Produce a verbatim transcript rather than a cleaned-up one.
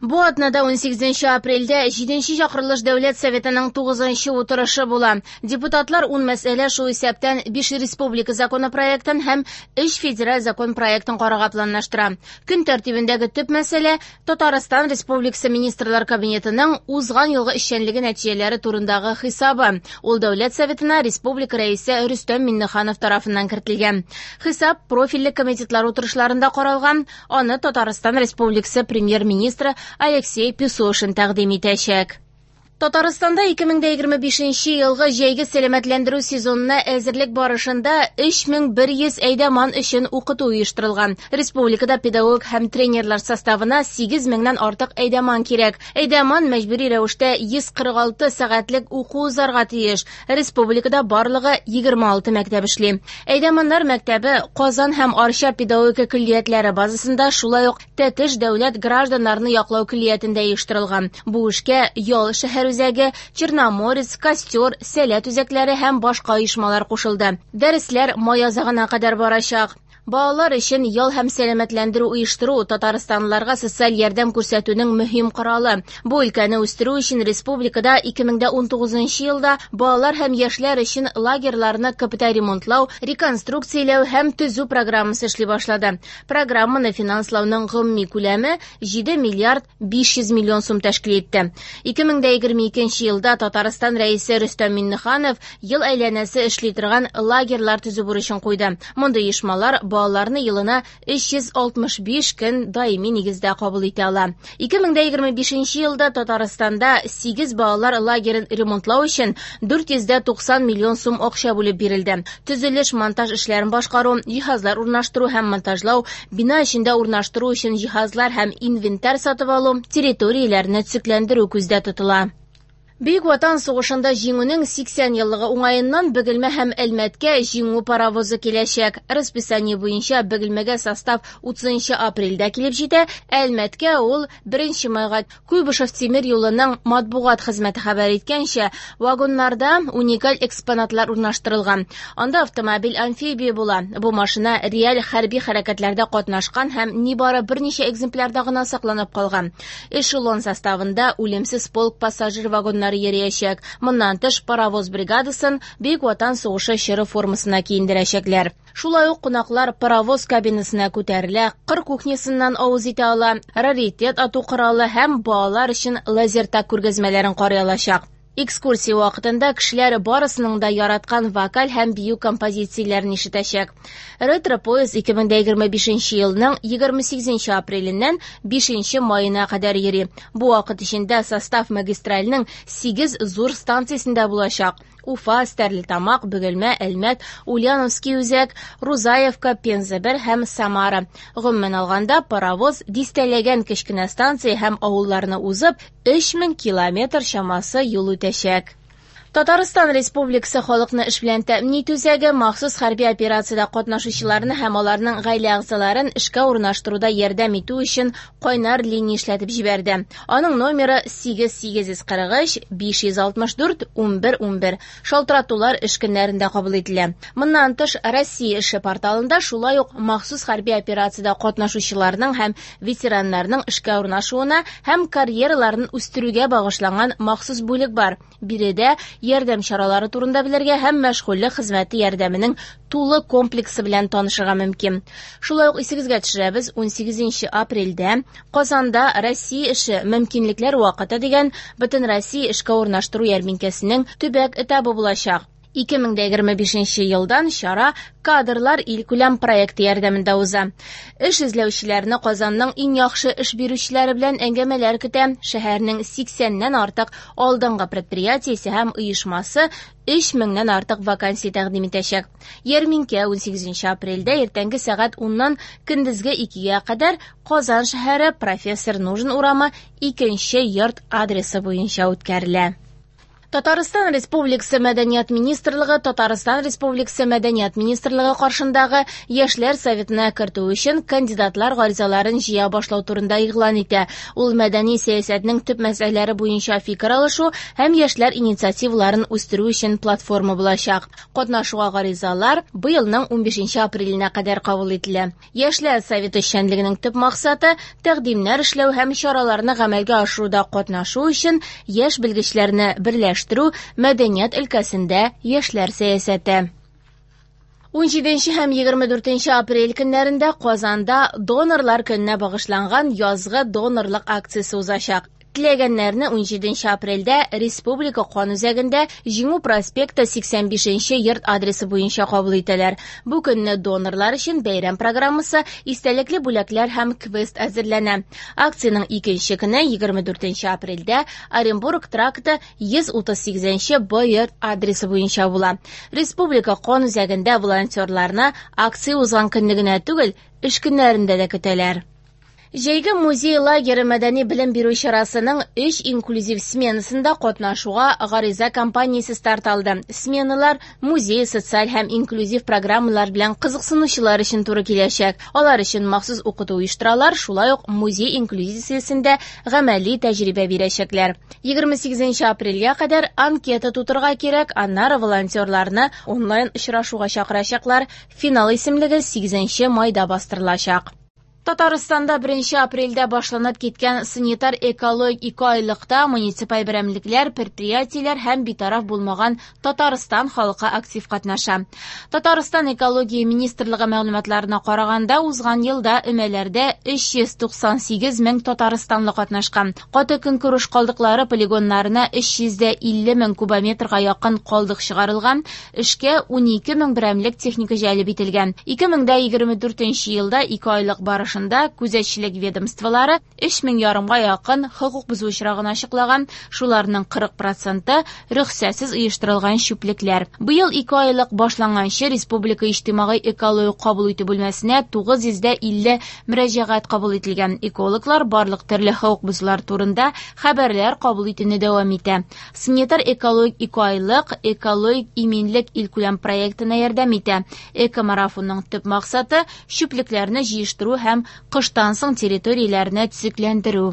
Бу атнада унсигезенче апрельдә җиденче чакырылыш Дәүләт Советының тугызынчы утырышы була. Депутатлар ун мәсьәлә, шул исәптән биш республика законопроектын һәм өч федераль закон проектын карарга планлаштыра. Көн тәртибендәге төп мәсьәлә Татарстан Республикасы Министрлар Кабинетының узган елгы эшчәнлеге нәтиҗәләре турындагы хисабы. Ул Дәүләт Советына республика рәисе Рөстәм Миңнеханов тарафыннан кертелгән. Хисап профильле комитетлар утырышларында каралган. Аны Татарстан Республикасы премьер-министры Алексей Песошин тәкъдим итәчәк. Татарстанда ике мең дә егерме бишенче елгы җәйге сәламәтләндерү сезонына әзерлек барышында өч мең бер йөз әйдәман өчен укыту оештырылган. Республикада педагог һәм тренерлар составына сигез меңнән артык әйдәман кирәк. Әйдәман мәҗбүри рәвештә йөз кырык алты сәгатьлек уку узарга тиеш. Республикада барлыгы егерме алты мәктәп эшли. Әйдәманнар мәктәбе Казан һәм Арча педагогика көллиятләре базасында, шулай ук Тәтеш дәүләт гражданнарны яклау көллиятендә оештырылган. Бу эшкә Ял шәһәр үзәге, Черноморец, Костер, Сәләт үзәкләре һәм башка оешмалар кушылды. Дәресләр май азагына кадәр барачак. Балалар өчен ял һәм сәламәтләндерү оештыру татарстанлыларга социаль ярдәм күрсәтүнең мөһим коралы. Бу өлкәне үстерү өчен республикада ике мең дә унтугызынчы елда балалар һәм яшьләр өчен лагерьларны капиталь ремонтлау, реконструкцияләү һәм төзү программасы эшли башлады. Программаны финанслауның гомуми күләме җиде миллиард биш йөз миллион сум тәшкил итте. Ике мең дә егерме икенче елда Татарстан рәисе Рөстәм Миңнеханов ел әйләнәсе эшли торган лагерьлар төзү бурычын куйды. Мондый оешмалар балаларны елына өч йөз алтмыш биш көн даими нигездә кабул итә ала. Ике мең дә егерме бишенче елда Татарстанда сигез балалар лагерен ремонтлау өчен дүрт йөз дә туксан миллион сум акча бүлеп бирелде. Төзелеш, монтаж эшләрен башкару, җиһазлар урнаштыру һәм монтажлау, бина эчендә урнаштыру өчен җиһазлар һәм инвентарь сатып алу, территорияләрне төзекләндерү күздә тотыла. Бөек Ватан сугышында җиңүнең сиксән еллыгы уңаеннан Бөгелмә һәм Әлмәткә җиңү паровозы киләчәк. Расписание буенча Бөгелмәгә состав утызынчы апрельдә килеп җитә, Әлмәткә ул беренче майга. Куйбышев тимер юлының матбугат хезмәте хәбәр иткәнчә, вагоннарда уникаль экспонатлар урнаштырылган. Анда автомобиль амфибия була. Бу машина реаль хәрби хәрәкәтләрдә катнашкан һәм нибары берничә экземплярда гына сакланып калган. Эшелон составында үлемсез полк пассажир вагоннары йөриячәк. Моннан тыш паровоз бригадасын Бөек Ватан сугышы чоры формасына киендерәчәкләр. Шулай ук кунаклар паровоз кабинасына күтәрелә, кыр кухнясыннан авыз итә ала, раритет ату коралы һәм балалар өчен лазертаг күргәзмәләрен карый алачак. Экскурсия вакытында кешеләр барысының да яраткан вокаль һәм бию композицияләрен ишетәчәк. Ретро-поезд ике мең дә егерме бишенче елның егерме сигезенче апреленнән бишенче маена кадәр йөри. Бу вакыт эчендә состав магистральның сигез зур станциясендә булачак. Уфа, Стәрлетамак, Бөгелмә, Әлмәт, Ульяновский үзәк, Рузаевка, Пенза бер һәм Самара. Гомумән алганда, паровоз дистәләгән кечкенә станция һәм авылларны узып, өч мең километр чамасы юл үтәчәк. Татарстан Республикасы халыкны эш белән тәэмин итү үзәге махсус хәрби операциядә катнашучыларны һәм аларның гаилә әгъзаларын эшкә урнаштыруда ярдәм итү өчен кайнар линия эшләтеп җибәрде. Аның номеры сигез сигез йөз кырык өч, биш йөз алтмыш дүрт, унбер, унбер. Шалтыратулар эш көннәрендә кабул ителә. Моннан тыш, Россия эше порталында шулай ук махсус хәрби операциядә катнашучыларның һәм ветераннарның эшкә урнашуына һәм карьераларын үстерүгә багышланган махсус бүлек бар. Биредә ярдәм чаралары турында белергә һәм мәшгульлек хезмәте ярдәменең тулы комплексы белән танышырга мөмкин. Шулай ук исегезгә төшерәбез, унсигезенче апрельдә Казанда Россия эше мөмкинлекләр вакыты дигән Бөтенроссия эшкә урнаштыру ярминкәсенең төбәк этабы булачак. Ике мең дә егерме бишенче елдан чара Кадрлар илкүләм проекты ярдәмендә уза. Эш эзләүчеләрне Казанның иң яхшы эш бирүчеләре белән әңгәмәләр көтә. Шәһәрнең сиксәннән артык алдынгы предприятиесе һәм оешмасы өч меңнән артык вакансия тәкъдим итәчәк. Ярминкә унсигезенче апрельдә иртәнге сәгать уннан көндезге икегә кадәр Казан шәһәре Профессор Нужин урамы икенче йорт адресы буенча үткәрелә. Татарстан Республикасы Мәдәният министрлыгы Татарстан Республикасы Мәдәният министрлыгы каршындагы Яшьләр советына кертү өчен кандидатлар гаризаларын җыя башлау турында игълан итә. Ул мәдәни сәясәтнең төп мәсьәләләре буенча фикер алышу һәм яшьләр инициативаларын үстерү өчен платформа булачак. Катнашуга гаризалар быелның унбишенче апреленә кадәр кабул ителә. Яшьләр советы эшчәнлегенең төп максаты тәкъдимнәр эшләү һәм чараларны гамәлгә ашыруда катнашу өчен яшь белгечләрне берләштерү, мәдәният өлкәсендә яшьләр сәясәте. Унҗиденче һәм егерме дүртенче апрель көннәрендә Казанда донорлар көненә багышланган язгы донорлык акциясе узачак. Теләгәннәрне унҗиденче апрельдә Республика кан үзәгендә Җиңү проспекты сиксән бишенче йорт адресы буенча кабул итәләр. Бу көнне донорлар өчен бәйрәм программасы, истәлекле бүләкләр һәм квест әзерләнә. Акциянең икенче көне егерме дүртенче апрельдә Оренбург тракты йөз утыз сигезенче Б йорт адресы буенча була. Республика кан үзәгендә волонтерларны акция узган көнне генә түгел, эш көннәрендә дә көтәләр. Җәйге музей лагере мәдәни белем бирү чарасының өч инклюзив сменасында катнашуга гариза кампаниясе старт алды. Сменалар музей, социаль һәм инклюзив программалар белән кызыксынучылар өчен туры киләчәк. Алар өчен махсус укыту оештыралар, шулай ук музей инклюзиясендә гамәли тәҗрибә бирәчәкләр. Егерме сигезенче апрельгә кадәр анкета тутырырга кирәк, аннары волонтерларны онлайн очрашуга чакырачаклар. Финал исемлеге сигезенче майда бастырылачак. Татарстанда беренче апрельдә башланып киткән санитар экологик ике айлыкта муниципаль берәмлекләр, предприятиеләр һәм битараф булмаган Татарстан халкы актив катнаша. Татарстан экология министрлыгы мәгълүматларына караганда, узган елда өмәләрдә өч йөз туксан сигез мең татарстанлы катнашкан. Каты көнкүреш калдыклары полигоннарына өч йөз дә илле мең кубометрга якын калдык чыгарылган, эшкә унике мең берәмлек техника җәлеп ителгән. Ике мең дә егерме дүртенче елда ике айлык барыш күзәтчелек ведомстволары өч мең ярымга якын хокук бозу очрагын ачыклаган, шуларның кырык проценты рөхсәтсез оештырылган чүплекләр. Быел ике айлык башланганчы Республика иҗтимагый экологик кабул итү бүлмәсенә тугыз йөз дә илле мөрәҗәгать кабул ителгән. Экологлар барлык төрле хокук бозулар турында хәбәрләр кабул итүне дәвам итә. Санитар экологик ике айлык экологик иминлек илкүләм проектына ярдәм итә. Экомарафонның төп максаты чүплекләрне җыештыру һәм кыштан соң территорияләрне төзекләндерү.